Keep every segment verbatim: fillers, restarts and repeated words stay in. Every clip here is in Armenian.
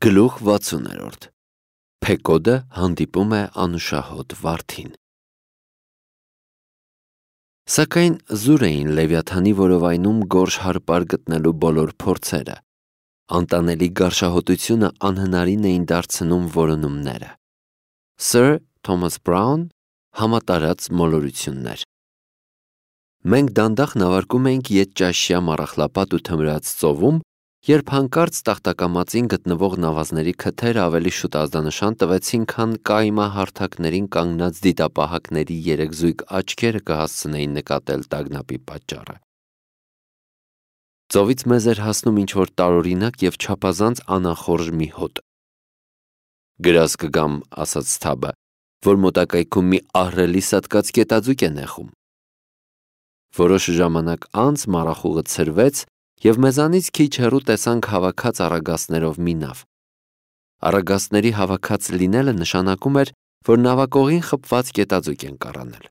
Գլուխ վաթսուններորդ Փեկոդը հանդիպում է անուշահոտ վարդին։ Սակայն զուր էին Լևիաթանի որովայնում գորշ հարպար գտնելու բոլոր փորձերը։ Անտանելի գարշահոտությունը անհնարին էին դարձնում որոնումները։ Սըր Թոմաս Բրաուն համատարած մոլորություններ։ Մենք դանդաղ նավարկում էինք ետճաշյա մառախլապատ ու թմրած ծովում, երբ հանկարծ տախտակամածին գտնվող նավազների քթերը ավելի շուտ ազդանշան տվեցին, քան կայմահարթակներին կանգնած դիտապահակների երեքզույգ աչքերը կհասցնեին նկատել տագնապի պատճառը։ Ծովից մեզ էր հասնում ինչ-որ տարօրինակ և չափազանց անախորժ մի հոտ։ «Գրազ կգամ», ասաց Սթաբը, որ մոտակայքում մի ահռելի սատկած կետաձուկ է նեխում։ Որոշ ժամանակ անց մառախուղը ցրվեց, և մեզանից քիչ հեռու տեսանք հավաքած առագաստներով մի նավ։ Առագաստների հավաքած լինելը նշանակում էր, որ նավակողին խփված կետաձուկ ենք առանել։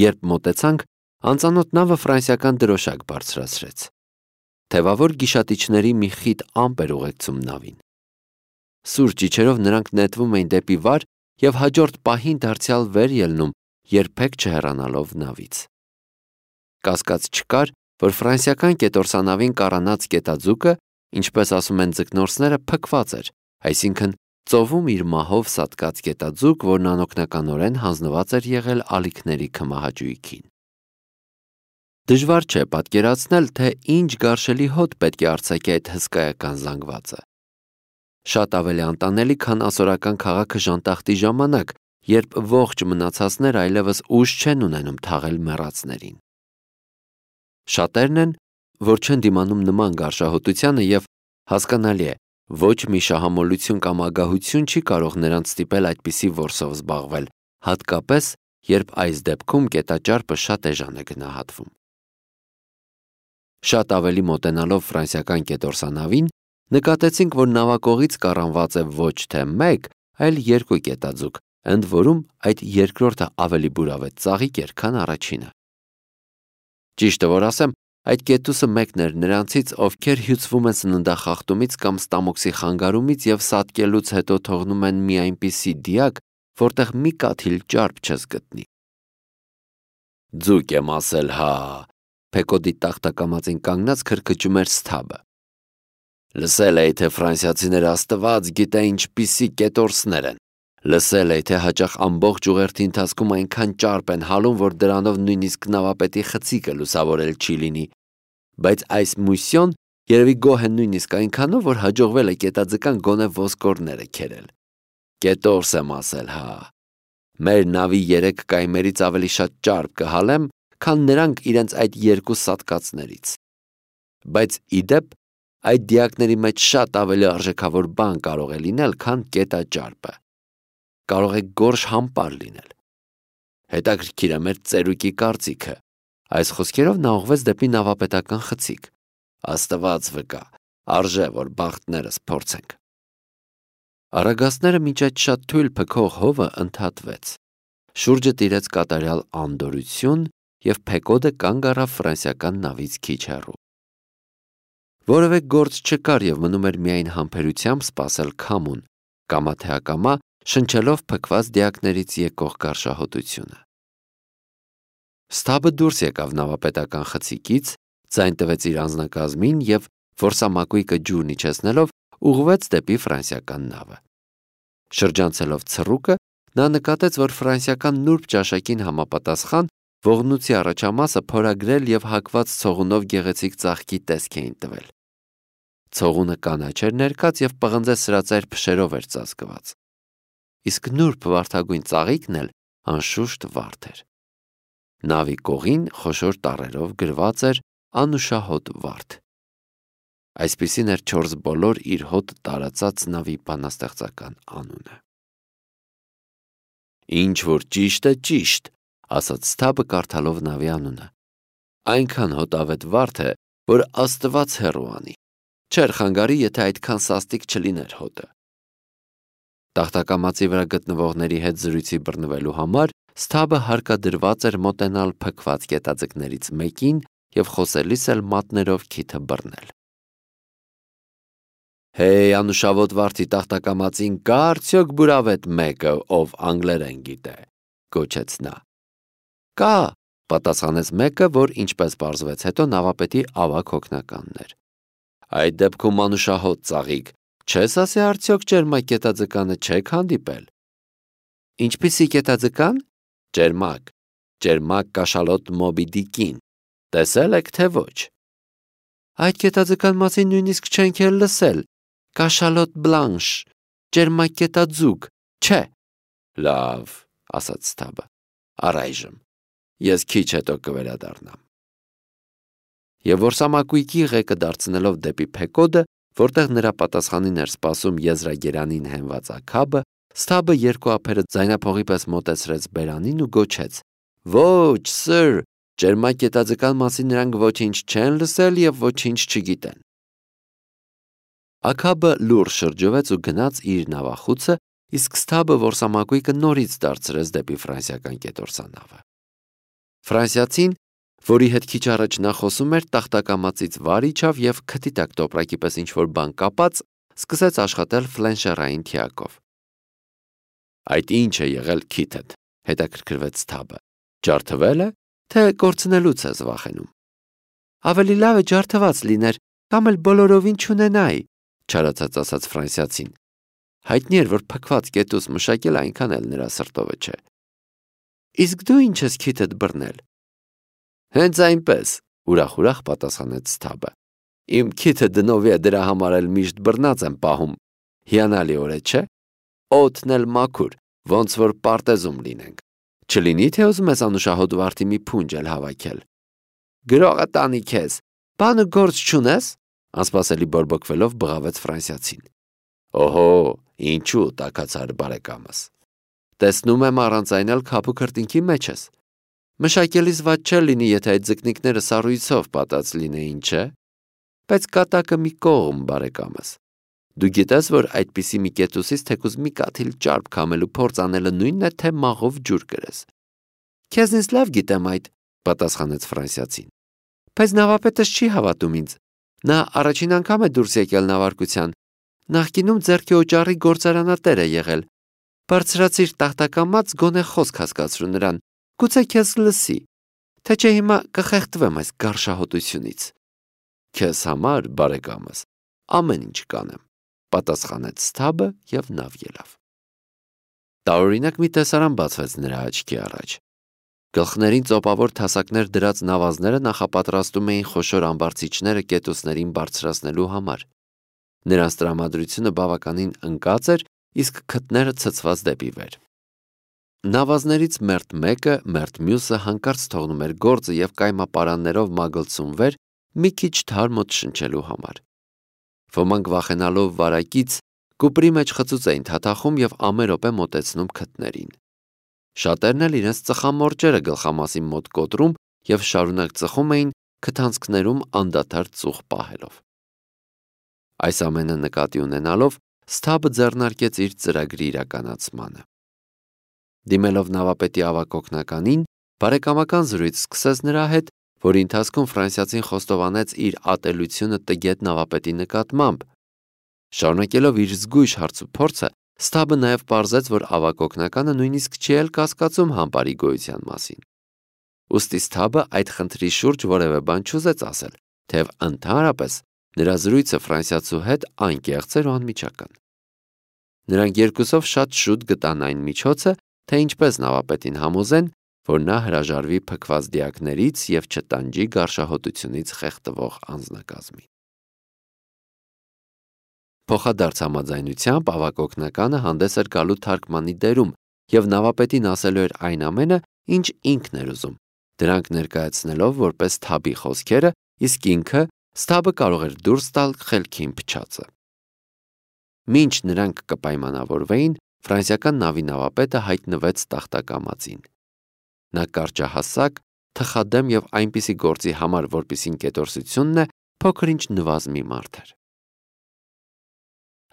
Երբ մոտեցանք, անծանոթ նավը ֆրանսիական դրոշակ բարձրացրեց։ Թևավոր գիշատիչների մի խիտ ամպ էր ուղեկցում նավին։ Սուր ճիչերով նրանք նետվում էին դեպի վար և հաջորդ պահին դարձյալ վեր ելնում, երբեք չհեռանալով նավից։ Կասկած չկար, որ ֆրանսիական կետորսանավին կառանած կետաձուկը, ինչպես ասում են ձկնորսները, փքված էր, այսինքն ծովում իր մահով սատկած կետաձուկ, որն անօգնականորեն հանձնված էր եղել ալիքների քմահաճույքին։ Դժվար չէ պատկերացնել, թե ինչ գարշելի հոտ պետք է արձակի այդ հսկայական զանգվածը։ Շատ ավելի անտանելի, քան ասորական քաղաքը ժանտախտի ժամանակ, երբ ողջ մնացածները այլևս ուժ չեն ունենում թաղել մեռածներին։ Շատերն են, որ չեն դիմանում նման գարշահոտությանը և, հասկանալի է, ոչ մի շահամոլություն կամ ագահություն չի կարող նրանց ստիպել այդպիսի որսով զբաղվել, հատկապես, երբ այս դեպքում կետաճարպը շատ էժան է գնահատվում։ Շատ ավելի մոտենալով ֆրանսիական կետորսանավին, նկատեցինք, որ նավակողից կառանված է ոչ թե մեկ, այլ երկու կետաձուկ, ընդ որում այդ երկրորդը ավելի բուրավետ ծաղիկ էր, քան առաջինը։ Ճիշտը որ ասեմ, այդ կետուսը մեկն էր նրանցից, ովքեր հյուծվում են սննդախախտումից կամ ստամոքսի խանգարումից և սատկելուց հետո թողնում են մի այնպիսի դիակ, որտեղ մի կաթիլ ճարպ չես գտնի։ Ձուկ եմ ասել, հա, Փեկոդի տախտակամածին կանգնած քրքջում էր Սթաբը։ Լսել էի, թե ֆրանսիացիները աստված գիտե ինչպիսի կետորսներ են։ Լսել էի, թե հաճախ ամբողջ ուղերձի ընթացքում այնքան ճարպ են հալում, որ դրանով նույնիսկ նավապետի խցիկը լուսավորել չի լինի, բայց այս մուսյոն երևի գոհ են նույնիսկ այնքանով, որ հաջողվել է կետաձկան գոնե ոսկորները քերել։ Կետորս եմ ասել, հա։ Մեր նավի երեք կայմերից ավելի շատ ճարպ կհալեմ, քան նրանք իրենց այդ երկու սատկածներից։ Բայց ի դեպ, այդ դիակների մեջ շատ ավելի արժեքավոր բան կարող է լինել, քան կետաճարպը։ Կարող է գորշ համպար լինել։ Հետաքրքիր է մեր ծերուկի կարծիքը։ Այս խոսքերով նա ուղղվեց դեպի նավապետական խցիկ։ Աստված վկա, արժե, որ բախտներս փորձենք։ Առագաստները մինչ այդ շատ թույլ փքող հովը ընդհատվեց։ Շուրջը տիրեց կատարյալ անդորրություն, և Փեկոդը կանգ առավ ֆրանսիական նավից քիչ հեռու։ Որևէ գործ չկար և մնում էր միայն համբերությամբ սպասել քամուն, կամա թե ակամա շնչելով փքված դիակներից եկող գարշահոտությունը։ Սթաբը դուրս եկավ նավապետական խցիկից, ձայն տվեց իր անձնակազմին և, որսամակույկը ջուրն իջեցնելով, ուղղվեց դեպի ֆրանսիական նավը։ Շրջանցելով ցռուկը, նա նկատեց, որ ֆրանսիական նուրբ ճաշակին համապատասխան ողնույթի առաջամասը փորագրել և հակված ցողունով գեղեցիկ ծաղկի տեսք էին տվել։ Ցողունը կանաչ էր ներկած և պղնձե սրածայր փշերով էր ծածկված։ Իսկ նուրբ վարդագույն ծաղիկն էլ անշուշտ վարդ էր։ Նավի կողին խոշոր տառերով գրված էր «Անուշահոտ վարդ»։ Այսպիսին էր չորս բոլոր իր հոտ տարածած նավի բանաստեղծական անունը։ Ինչ որ ճիշտ է, ճիշտ, ասաց Սթաբը կարդալով նավի անունը։ Այնքան հոտավետ վարդ է, որ Աստված հեռու անի։ Չէր խանգարի, եթե այդքան սաստիկ չլիներ հոտը։ Տախտակամածի վրա գտնվողների հետ զրույցի բռնվելու համար Սթաբը հարկադրված էր մոտենալ փքված կետաձկներից մեկին և խոսելիս էլ մատներով քիթը բռնել։ Հեյ, անուշավոտ վարդի տախտակամածին կա արդյոք բուրավետ մեկը, ով անգլերեն գիտե, գոչեց նա։ Կա, պատասխանեց մեկը, որ ինչպես պարզվեց հետո նավապետի ավագ հոգնականն էր։ Այդ դեպքում անուշահոտ ծաղիկ, չես ասի արդյոք ջերմակ կետաձկանը չեք հանդիպել։ Ինչպիսի կետաձկան։ Ջերմակ, ջերմակ կաշալոտ Մոբի Դիկին, տեսել եք թե ոչ։ Այդ կետաձկան մասին նույնիսկ չենք էլ լսել, կաշալոտ բլանշ, ջերմակ կետաձուկ, չէ։ Լավ, ասաց Սթաբը, առայժմ, ես քիչ հետո կվերադառնամ։ Եվ որսամակույկի ղեկը դարձնելով դեպի Փեկոդը, որտեղ նրա պատասխանին էր սպասում եզրագերանին հենված աքաբը, Սթաբը երկու ափերը ձայնափողի պես մոտեցրեց բերանին ու գոչեց. Ոչ, սըր, ջերմակ կետաձկան մասին նրանք ոչինչ չեն լսել և ոչինչ չգիտեն։ Աքաբը լուռ շրջվեց ու գնաց իր նավախուցը, իսկ Սթաբը որսամակույկը նորից դարձրեց դեպի ֆրանսիական կետորսանավը։ Ֆրանսիացին, որի հետ քիչ առաջ նա խոսում էր, տախտակամածից վար իջավ և քթի տակ տոպրակի պես ինչ-որ բան կապած, սկսեց աշխատել ֆլենշերային թիակով։ Այդ ինչ է եղել քիթդ, հետաքրքրվեց Սթաբը։ Ջարդվել է, թե կորցնելուց ես վախենում։ Ավելի լավ է ջարդված լիներ, կամ էլ բոլորովին չունենայի, չարացած ասաց ֆրանսիացին։ Հայտնի էր, որ փքված կետուց մշակել այնքան էլ նրա սրտովը չէ։ Իսկ դու ինչ ես քիթդ բռնել։ Հենց այնպես, ուրախ-ուրախ պատասխանեց Սթաբը։ Իմ քիթը դնովի է, դրա համար էլ միշտ բռնած եմ պահում։ Հիանալի օր է, չէ։ Օդն էլ մաքուր, ոնց որ պարտեզում լինենք։ Չլինի թե ուզում ես անուշահոտ վարդի մի փունջ էլ հավաքել։ Գրողը տանի քեզ, բանը գործ չունես, անսպասելի բորբոքվելով բղավեց ֆրանսիացին։ Օհո, ինչու, տաքացար բարեկամս։ Տեսնում եմ առանց այն էլ քափու քրտինքի մեջ ես։ Մշակելիս վատ չէ լինի, եթե այդ ձկնիկները սառույցով պատած լինեին, չէ։ Բայց կատակը մի կողմ, բարեկամս։ Դու գիտես, որ այդպիսի մի կետուսից թեկուզ մի կաթիլ ճարպ քամելու փորձ անելը նույնն է, թե մաղով ջուր կրես։ Քեզնից լավ գիտեմ այդ, պատասխանեց ֆրանսիացին։ Բայց նավապետս չի հավատում ինձ։ Նա առաջին անգամ է դուրս եկել նավարկության։ Նախկինում ձեռքի օճառի գործարանատեր է եղել։ Բարձրացիր տախտակամած, գոնե խոսք հասկացրու նրան, գուցե քեզ լսի, թե չէ հիմա կխեղդվեմ այս գարշահոտությունից։ Քեզ համար, բարեկամս, ամեն ինչ կանեմ, պատասխանեց Սթաբը և նավ ելավ։ Տարօրինակ մի տեսարան բացվեց նրա աչքի առաջ։ Գլխներին ծոպավոր թասակներ դրած նավազները նախապատրաստում էին խոշոր ամբարձիչները կետուսներին բարձրացնելու համար։ Նրանց տրամադրությունը բավականին ընկած էր, իսկ քթները ցցված դեպի վեր։ Նավազներից մերթ մեկը, մերթ մյուսը հանկարծ թողնում էր գործը և կայմապարաններով մագլցում վեր մի քիչ թարմոտ շնչելու համար։ Ոմանք վախենալով վարակից կուպրի մեջ խծուց էին թաթախում և ամեն րոպե մոտեցնում քթներին։ Շատերն էլ իրենց ծխամորճերը գլխամասի մոտ կոտրում և շարունակ ծխում էին քթանցքներում անդադար ծուխ պահելով։ Այս ամենը նկատի ունենալով Սթաբը ձեռնարկեց իր ծրագրի իրականացմանը։ Դիմելով նավապետի ավագ օգնականին, բարեկամական զրույց սկսեց նրա հետ, որի ընթացքում ֆրանսիացին խոստովանեց իր ատելությունը տգետ նավապետի նկատմամբ։ Շարունակելով իր զգույշ հարցուփորձը, Սթաբը նաև պարզեց, որ ավագ օգնականը նույնիսկ չի էլ կասկածում համբարի գոյության մասին։ Ուստի Սթաբը այդ խնդրի շուրջ որևէ բան չուզեց ասել, թեև ընդհանրապես նրա զրույցը ֆրանսիացու հետ անկեղծ էր ու անմիջական։ Նրանք երկուսով շատ շուտ գտան այն միջոցը, թե ինչպես նավապետին համոզեն, որ նա հրաժարվի փքված դիակներից և չտանջի գարշահոտությունից խեղդվող անձնակազմին։ Փոխադարձ համաձայնությամբ ավագ օգնականը հանդես էր գալու թարգմանի դերում և նավապետին ասելու էր այն ամենը, ինչ ինքն էր ուզում, դրանք ներկայացնելով որպես Սթաբի խոսքերը, իսկ ինքը Սթաբը կարող էր դուրս տալ խելքին փչածը։ Մինչ նրանք կպայմանավորվեին, ֆրանսիական նավի նավապետը հայտնվեց տախտակամածին։ Նա կարճահասակ, թխադեմ և այնպիսի գործի համար, որպիսին կետորսությունն է, փոքր-ինչ նվազմի մարդ էր։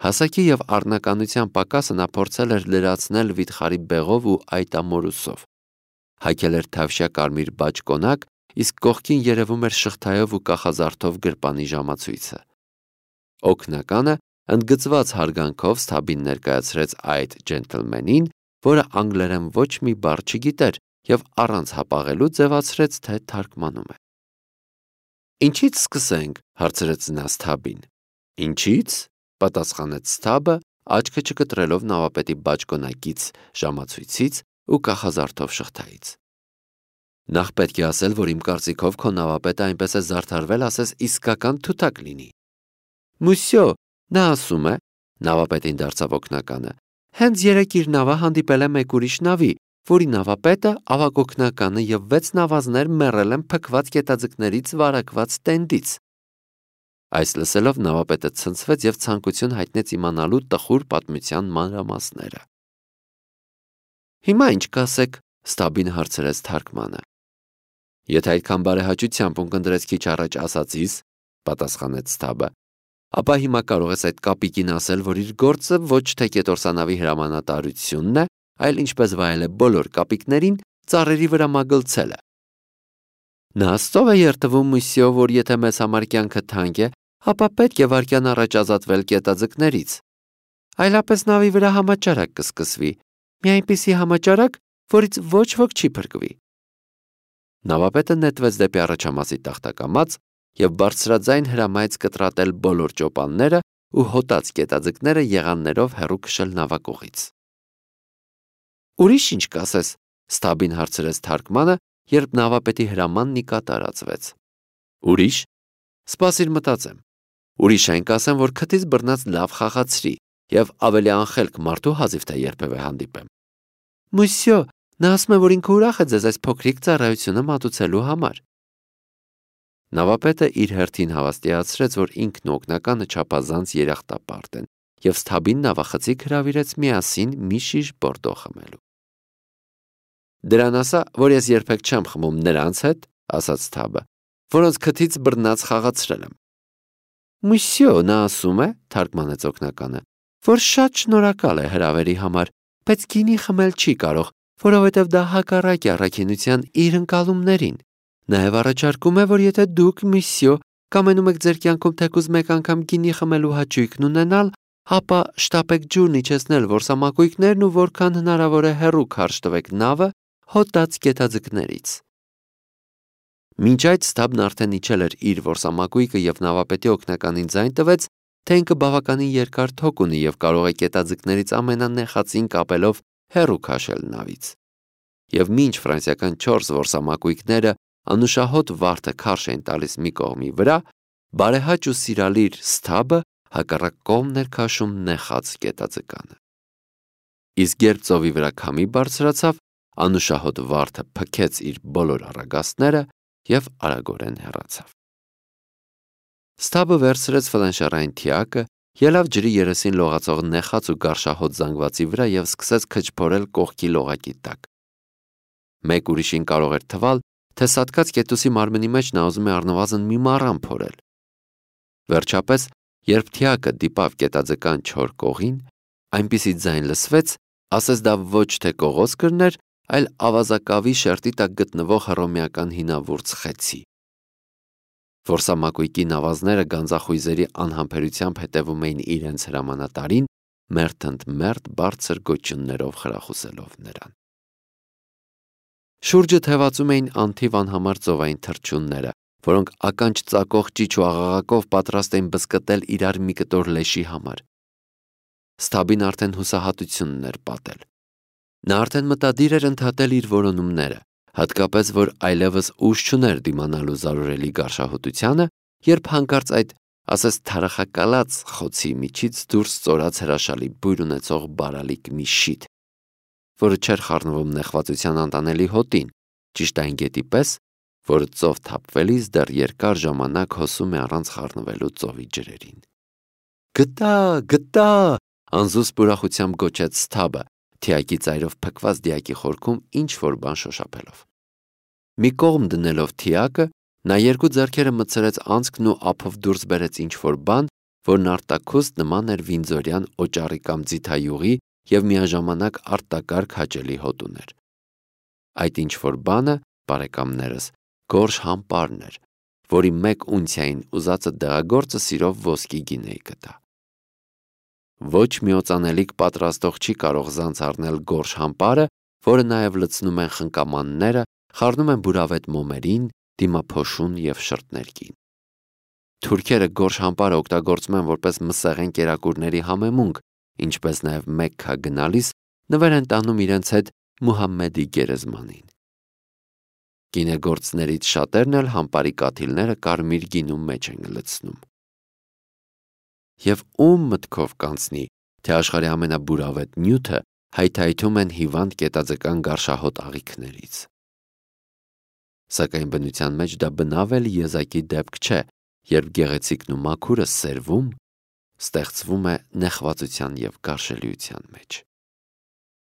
Հասակի և առնականության պակասը նա փորձել էր լրացնել վիթխարի բեղով ու այտամորուսով։ Հագել էր թավշյա կարմիր բաճկոնակ, իսկ կողքին երևում էր շղթայով ու կախազարդով գրպանի ժամացույցը։ Օգնականը Ընդգծված հարգանքով Սթաբին ներկայացրեց այդ ջենտլմենին, որը անգլերեն ոչ մի բառ չգիտեր և առանց հապաղելու ձևացրեց, թե թարգմանում է։ «Ինչից սկսենք», հարցրեց նա Սթաբին։ «Ինչից», պատասխանեց Սթաբը, աչքը չկտրելով նավապետի բաճկոնակից ժամացույցից ու կախազարդով շղթայից։ «Նախ պետք է ասել, որ իմ կարծիքով քո նավապետը այնպես է զարդարվել, ասես իսկական թութակ լինի»։ «Մուսյո, նա ասում է», նավապետին դարձավ օգնականը, «հենց երեկ իր նավը հանդիպել է մեկ ուրիշ նավի, որի նավապետը, ավագ օգնականը և վեց նավազներ մեռել են փքված գետաձկներից վարակված տենդից»։ Այս լսելով նավապետը ցնցվեց և ցանկություն հայտնեց իմանալու տխուր պատմության մանրամասները։ «Հիմա ինչ կասեք», Սթաբին հարցրեց թարգմանը։ «Եթե այդքան բարեհաճությամբ ունկնդրեց քիչ առաջ ասածիս», պատասխանեց Սթաբը, ապա հիմա կարող ես այդ կապիկին ասել, որ իր գործը ոչ թե կետորսանավի հրամանատարությունն է, այլ ինչպես վայել է բոլոր կապիկներին, ծառերի վրա մագլցելը։ Նա աստծով է երդվում, մուսյո, որ եթե մեզ համար կյանքը թանկ է, ապա պետք է վայրկյան առաջ ազատվել գետաձկներից։ Այլապես նավի վրա համաճարակ կսկսվի, մի այնպիսի համաճարակ, որից ոչ ոք չի փրկվի։ Նավապետը նետվեց դեպի առաջամասի տախտակամած և բարձրաձայն հրամայեց կտրատել բոլոր ճոպանները ու հոտած գետաձկները եղաններով հեռու քշել նավակողից։ «Ուրիշ ինչ կասես», Սթաբին հարցրեց թարգմանը, երբ նավապետի հրամանն ի կատարածվեց։ «Ուրիշ, սպասիր մտածեմ։ Ուրիշ այն կասեմ, որ քթից բռնած լավ խաղացրի և ավելի անխելք մարդու հազիվ թե երբևէ հանդիպեմ»։ «Մուսյո, նա ասում է, որ ինքը ուրախ է ձեզ այս փոքրիկ ծառայությունը մատուցելու համար»։ Նավապետը իր հերթին հավաստիացրեց, որ ինքն ու օգնականը չափազանց երախտապարտ են, և Սթաբին նավախցիկ հրավիրեց միասին մի շիշ բորդո խմելու։ «Դրան ասա, որ ես երբեք չեմ խմում նրանց հետ», ասաց Սթաբը, «որոնց քթից բռնած խաղացրել եմ»։ «Մուսյո, նա ասում է», թարգմանեց օգնականը, «որ շատ շնորհակալ է հրավերի համար, բայց գինի խմել չի կարող, որովհետև դա հակառակ է առաքինության իր ընկալումներին։ Նաև առաջարկում է, որ եթե դուք, մուսյո, կամենում եք ձեր կյանքում թեկուզ մեկ անգամ գինի խմելու հաճույքն ունենալ, ապա շտապեք ջուրն իջեցնել որսամակույկներն ու որքան հնարավոր է հեռու քարշ տվեք նավը հոտած գետաձկներից»։ Մինչ այդ Սթաբն արդեն իջել էր իր որսամակույկը և նավապետի օգնականին ձայն տվեց, թե ինքը բավականին երկար թոք ունի և կարող է գետաձկներից ամենանեխածին կապելով հեռու քաշել նավից։ Եվ մինչ ֆրանսիական չորս որսամակույկները անուշահոտ վարդը քարշ էին տալիս մի կողմի վրա, բարեհաճ ու սիրալիր Սթաբը հակառակ կողմն էր քաշում նեխած գետաձկանը։ Իսկ երբ ծովի վրա քամի բարձրացավ, անուշահոտ վարդը փքեց իր բոլոր առագաստները և արագորեն հեռացավ։ Սթաբը վերցրեց ֆլանշարային թիակը, ելավ ջրի երեսին լողացող նեխած ու գարշահոտ զանգվածի վրա և սկսեց քչփորել կողքի լողակի տակ։ Մեկ ուրիշին կարող էր թվալ, թե սատկած կետուսի մարմնի մեջ նա ուզում է առնվազն մի մառան փորել։ Վերջապես, երբ թիակը դիպավ գետաձկան չոր կողին, այնպիսի ձայն լսվեց, ասես դա ոչ թե կողոս կրներ, այլ ավազակավի շերտի տակ գտնվող հռոմեական հինավուրց խեցի։ Որսամակույկի նավազները գանձախույզերի անհամբերությամբ հետևում էին իրենց հրամանատարին, մերթ ընդ մերթ բարձր գոչյուններով խրախուսելով նրան։ Շուրջը թևածում էին անթիվ անհամար ծովային թռչունները, որոնք ականջ ծակող ճիչ ու աղաղակով պատրաստ էին բզկտել իրար մի կտոր լեշի համար։ Սթաբին արդեն հուսահատությունն էր պատել։ Նա արդեն մտադիր էր ընդհատել իր որոնումները, հատկապես որ այլևս ուժ չուներ դիմանալու զարուրելի գարշահոտությանը, երբ հանկարծ այդ, ասես թարախակալած խոցի միջից դուրս ծորաց հրաշալի բույր ունեցող բարալիկ մի շիթ, որը չէր խառնվում նեղվածության անտանելի հոտին, ճիշտ այն գետի պես, որը ծով թափվելիս դեռ երկար ժամանակ հոսում է առանց խառնվելու ծովի ջրերին։ «Գտա, գտա», անզուսպ ուրախությամբ գոչեց Սթաբը, թիակի ծայրով փքված դիակի խորքում ինչ-որ բան շոշափելով։ Մի կողմ դնելով թիակը, նա երկու ձեռքերը մտցրեց անցքն ու ափով դուրս բերեց ինչ-որ բան, որն արտաքուստ նման էր վինձորյան օճառի կամ ձիթայուղի և միաժամանակ արտակարգ հաճելի հոտ ուներ։ Այդ ինչ-որ բանը, բարեկամներս, գորշ համպարն էր, որի մեկ ունցիային ուզածը դեղագործը սիրով ոսկի գինեի կտա։ Ոչ մի օծանելիք պատրաստող չի կարող զանց առնել գորշ համպարը, որը նաև լցնում են խնկամանները, խառնում են բուրավետ մոմերին, դիմափոշուն և շրթներկին։ Թուրքերը գորշ համպարը օգտագործում են որպես մսեղեն կերակուրների համեմունք, ինչպես նաև Մեքքա գնալիս նվեր են տանում իրենց հետ Մուհամմեդի գերեզմանին։ Գինեգործներից շատերն էլ համպարի կաթիլները կարմիր գինու մեջ են լցնում։ Եվ ում մտքով կանցնի, թե աշխարհի ամենաբուրավետ նյութը հայթայթում են հիվանդ կետաձկան գարշահոտ աղիքներից։ Սակայն բնության մեջ դա բնավ էլ եզակի դեպք չէ, երբ գեղեցիկն ու մաքուրը սերվում, ստեղծվում է նեղվածության և գարշելիության մեջ։